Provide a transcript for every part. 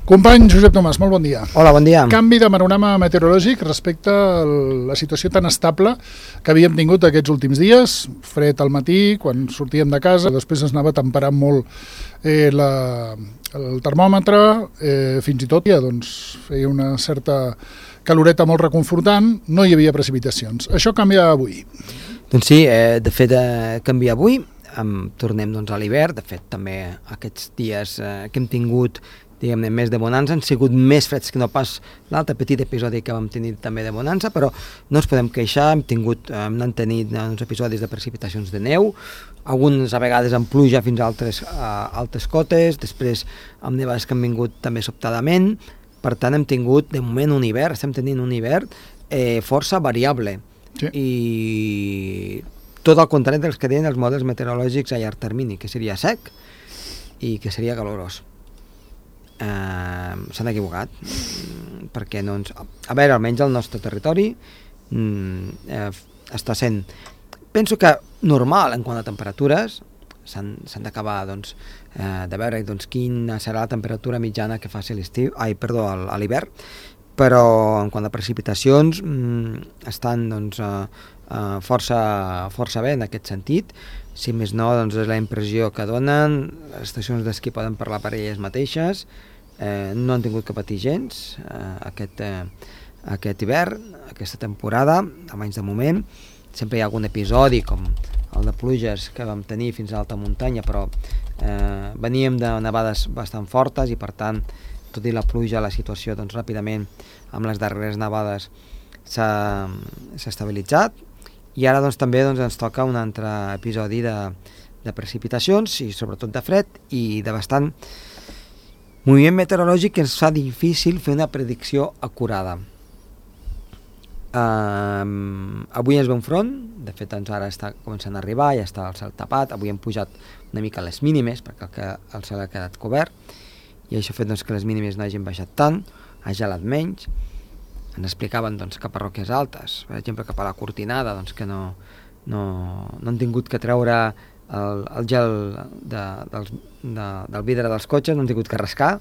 Company Josep Tomàs, molt bon dia. Hola, bon dia. Canvi de panorama meteorològic respecte a la situació tan estable que havíem tingut aquests últims dies. Fred al matí, quan sortíem de casa, després es anava temperant molt el termòmetre, fins i tot ja feia una certa caloreta molt reconfortant, no hi havia precipitacions. Això canvia avui. Doncs sí, de fet canvia avui, tornem a l'hivern, de fet també aquests dies que hem tingut diguem-ne, més de bonança, han sigut més freds que no pas l'altre petit episodi que vam tenir també de bonança, però no ens podem queixar, hem anat tenint uns episodis de precipitacions de neu, algunes a vegades amb pluja fins a altes cotes, després amb nevades que han vingut també sobtadament, per tant hem tingut de moment un hivern, estem tenint un hivern força variable, sí. I tot el contrari dels que deien els models meteorològics a llarg termini, que seria sec i que seria calorós. S'han equivocat perquè no ens... A veure, almenys el nostre territori està sent, penso que normal en quant a temperatures. S'han d'acabar de veure quina serà la temperatura mitjana que faci a l'hivern, però en quant a precipitacions estan força bé en aquest sentit. Si més no, és la impressió que donen, les estacions d'esquí poden parlar per elles mateixes, no han tingut que patir gens aquest hivern, aquesta temporada, almenys de moment. Sempre hi ha algun episodi, com el de pluges que vam tenir fins a l'alta muntanya, però veníem de nevades bastant fortes i per tant, tot i la pluja, la situació ràpidament amb les darreres nevades s'ha estabilitzat. I ara també ens toca un altre episodi de precipitacions i sobretot de fred i de bastant moviment meteorològic que ens fa difícil fer una predicció acurada. Avui ens ve un front, de fet ara està començant a arribar, ja està el cel tapat, avui hem pujat una mica les mínimes perquè el cel ha quedat cobert i això ha fet que les mínimes no hagin baixat tant, ha gelat menys. Ens explicaven que a parròquies altes, per exemple cap a la Cortinada, que no han tingut que treure el gel del vidre dels cotxes, no han tingut que rascar.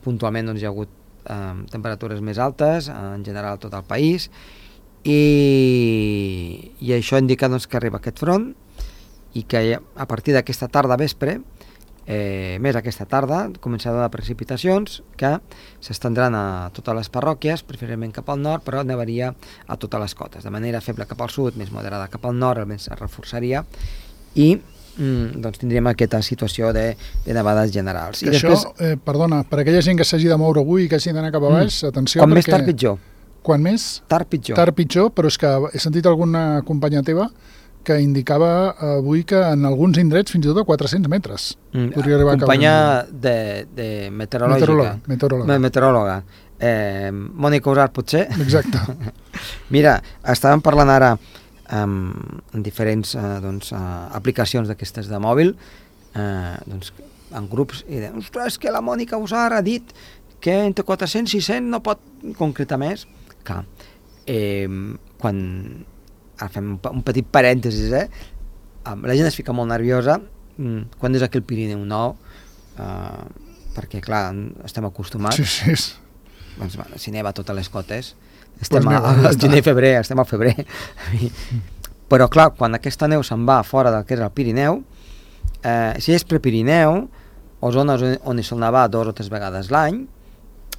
Puntualment hi ha hagut temperatures més altes en general a tot el país i això indica que arriba aquest front i que a partir d'aquesta tarda vespre, més aquesta tarda, començaran a donar precipitacions que s'estendran a totes les parròquies, preferentment cap al nord, però nevaria a totes les cotes, de manera feble cap al sud, més moderada cap al nord, el vent es reforçaria i tindríem aquesta situació de nevades generals. I després, perdona, per aquella gent que s'hagi de moure avui i que hagi d'anar cap a baix, atenció, quan més tard pitjor. Quan més? Tard pitjor. Tard pitjor, però és que he sentit alguna companya teva que indicava avui que en alguns indrets fins i tot a 400 metres. Companya de meteoròloga. Mònica Usart, potser? Exacte. Mira, estàvem parlant ara en diferents aplicacions d'aquestes de mòbil, en grups, i deien, ostres, que la Mònica Usart ha dit que entre 400 i 600 no pot concretar més. Clar, quan fem un petit parèntesis, la gent es fica molt nerviosa quan és aquí el Pirineu nou, perquè clar, estem acostumats. Sí. Si neva a totes les cotes, estem al gener i febrer, estem al febrer. Però clar, quan aquesta neu se'n va fora del que és el Pirineu, si és prepirineu, o zones on hi sol nevar 2 o 3 vegades l'any,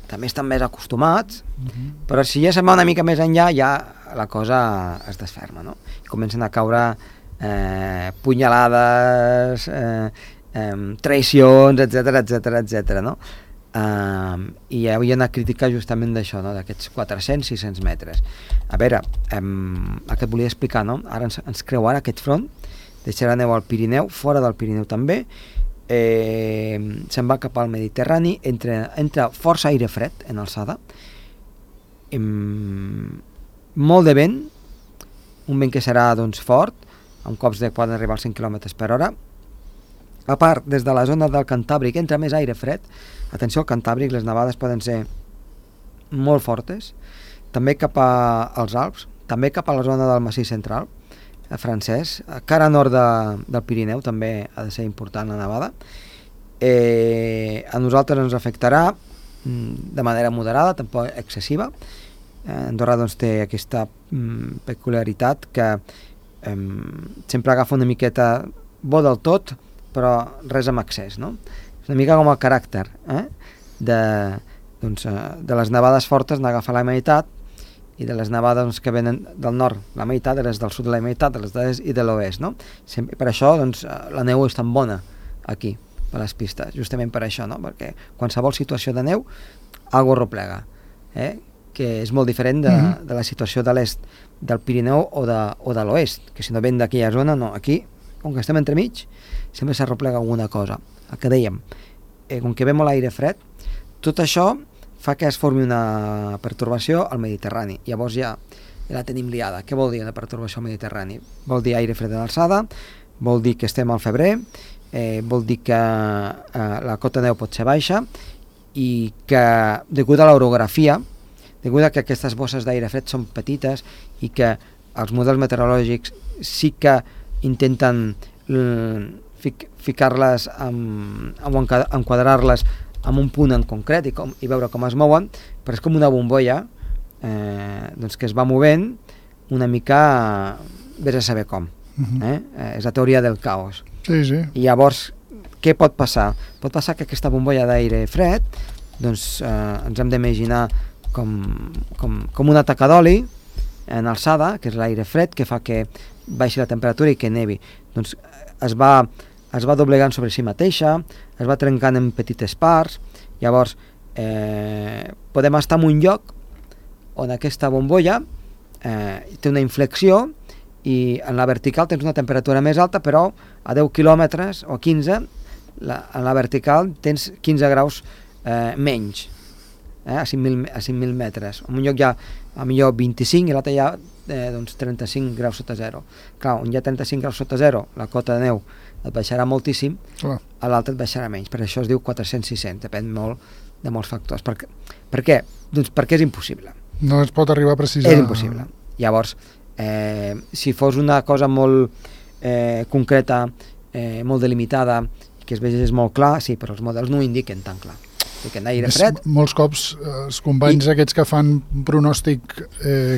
també estan més acostumats, però si ja se'n va una mica més enllà, ja la cosa es desferma, no? I comencen a caure punyalades, traïcions, etc., no? I hi havia una crítica justament d'això, no? D'aquests 400-600 metres. A veure, el que et volia explicar, no? Ara ens creu aquest front, deixarà neu al Pirineu, fora del Pirineu també, se'n va cap al Mediterrani, entra força aire fred en alçada, molt de vent, un vent que serà fort, amb cops que poden arribar als 100 km per hora. A part, des de la zona del Cantàbric entra més aire fred. Atenció, al Cantàbric les nevades poden ser molt fortes, també cap als Alps, també cap a la zona del Massís Central francès, cara nord del Pirineu també ha de ser important la nevada, A nosaltres ens afectarà de manera moderada, tampoc excessiva. Andorra doncs, té aquesta peculiaritat que sempre agafa una miqueta bo del tot, però res amb excés, no? És una mica com el caràcter de les nevades fortes n'agafa la meitat, i de les nevades que venen del nord la meitat, de les del sud la meitat, de les d'est i de l'oest, no? Per això la neu és tan bona aquí, per les pistes, justament per això, no? Perquè qualsevol situació de neu algo replega, que és molt diferent de la situació de l'est del Pirineu o de l'oest, que si no ven d'aquella zona, no, aquí, com que estem entremig, sempre s'arreplega alguna cosa. El que dèiem, com que ve molt aire fred, tot això fa que es formi una pertorbació al Mediterrani. Llavors ja la tenim liada. Què vol dir una pertorbació al Mediterrani? Vol dir aire fred en alçada, vol dir que estem al febrer, vol dir que la cota de neu pot ser baixa i que, degut a l'orografia, degut a que aquestes bosses d'aire fred són petites i que els models meteorològics sí que intenten ficar-les o enquadrar-les en un punt en concret i veure com es mouen, però és com una bombolla que es va movent una mica, vés a saber com. És la teoria del caos. Sí. I llavors, què pot passar? Pot passar que aquesta bombolla d'aire fred ens hem d'imaginar com una taca d'oli en alçada, que és l'aire fred, que fa que baixi la temperatura i que nevi. Doncs es va doblegant sobre si mateixa, es va trencant en petites parts, llavors podem estar en un lloc on aquesta bombolla té una inflexió i en la vertical tens una temperatura més alta, però a 10 quilòmetres o 15, en la vertical tens 15 graus menys, a 5.000 metres. En un lloc hi ha a millor 25 i l'altre hi ha 35 graus sota zero. Clar, on hi ha 35 graus sota zero, la cota de neu et baixarà moltíssim, a l'altre et baixarà menys. Per això es diu 400-600, depèn molt de molts factors. Per què? Doncs perquè és impossible. No es pot arribar a precisar. És impossible. Llavors, si fos una cosa molt concreta, molt delimitada, que es vegés molt clar, sí, però els models no ho indiquen tan clar. Aire fred. Molts cops els companys aquests que fan pronòstic,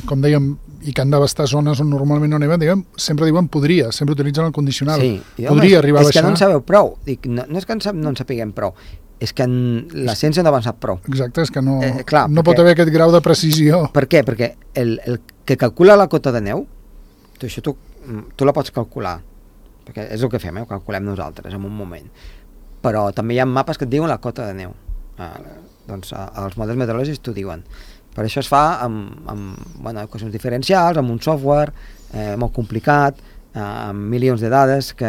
com dèiem, i que han d'abastar zones on normalment no neven, sempre diuen podria, sempre utilitzen el condicional. Sí. Podria arribar a baixar. És que no en sabeu prou. No és que no en sapiguem prou, és que la ciència no ha avançat prou. Exacte, és que no pot perquè, haver aquest grau de precisió. Per què? Perquè el que calcula la cota de neu, això tu la pots calcular, perquè és el que fem, ho calculem nosaltres en un moment. Però també hi ha mapes que et diuen la cota de neu. Doncs els models meteorològics t'ho diuen. Per això es fa amb equacions diferencials, amb un software molt complicat, amb milions de dades que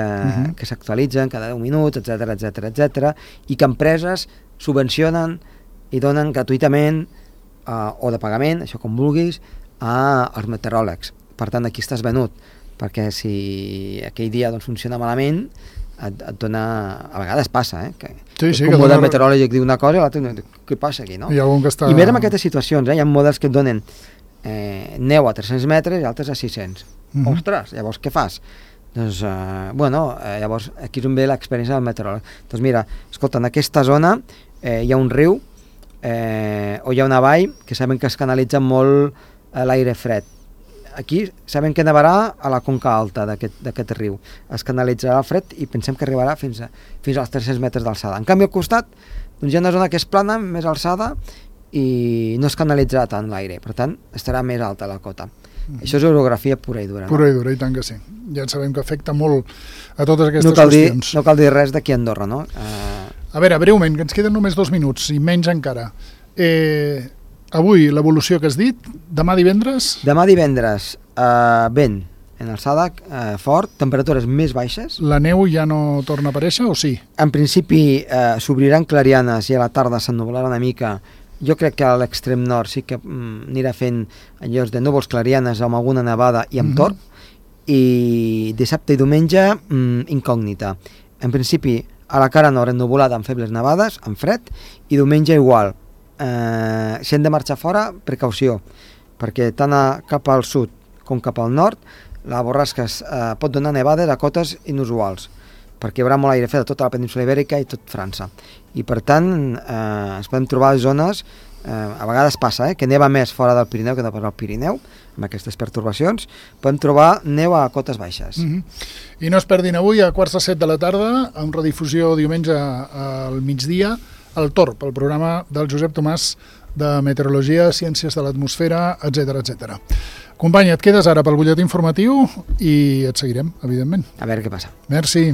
s'actualitzen cada 10 minuts, etc, i que empreses subvencionen i donen gratuïtament o de pagament, això com vulguis, als meteoròlegs. Per tant, aquí estàs venut, perquè si aquell dia funciona malament, et dona... A vegades passa, que un model meteorològic diu una cosa i l'altre, què passa aquí, no? I més en aquestes situacions, hi ha models que et donen neu a 300 metres i altres a 600. Ostres, llavors què fas? Doncs, llavors aquí és on ve l'experiència del meteoròleg. Doncs mira, escolta, en aquesta zona hi ha un riu o hi ha una vall que sabem que es canalitza molt l'aire fred. Aquí sabem que nevarà a la conca alta d'aquest riu. Es canalitzarà el fred i pensem que arribarà fins als 300 metres d'alçada. En canvi, al costat hi ha una zona que és plana, més alçada, i no es canalitzarà tant l'aire. Per tant, estarà més alta la cota. Això és orografia pura i dura. Pura i dura, i tant que sí. Ja sabem que afecta molt a totes aquestes qüestions. No cal dir res d'aquí a Andorra, no? A veure, breument, que ens queden només 2 minuts, i menys encara. Avui, l'evolució que has dit, demà divendres? Demà divendres, vent en alçada, fort, temperatures més baixes. La neu ja no torna a aparèixer o sí? En principi s'obriran clarianes i a la tarda s'ennublarà una mica. Jo crec que a l'extrem nord sí que anirà fent allòs de núvols clarianes amb alguna nevada i amb torb, i dissabte i diumenge incògnita. En principi a la cara nord ennuvolada amb febles nevades, amb fred, i diumenge igual. Si hem de marxar fora, precaució, perquè tant cap al sud com cap al nord la borrasca pot donar nevades a cotes inusuals, perquè hi haurà molt aire fred a tota la península Ibèrica i tot França. I per tant es poden trobar zones, a vegades passa, que neva més fora del Pirineu que no pas al Pirineu, amb aquestes pertorbacions, podem trobar neu a cotes baixes. I no es perdin avui a 6:45 de la tarda, amb redifusió diumenge al migdia, el Torb, el programa del Josep Tomàs de Meteorologia, Ciències de l'Atmosfera, etc etc. Company, et quedes ara pel butlletí informatiu i et seguirem, evidentment. A veure què passa. Merci.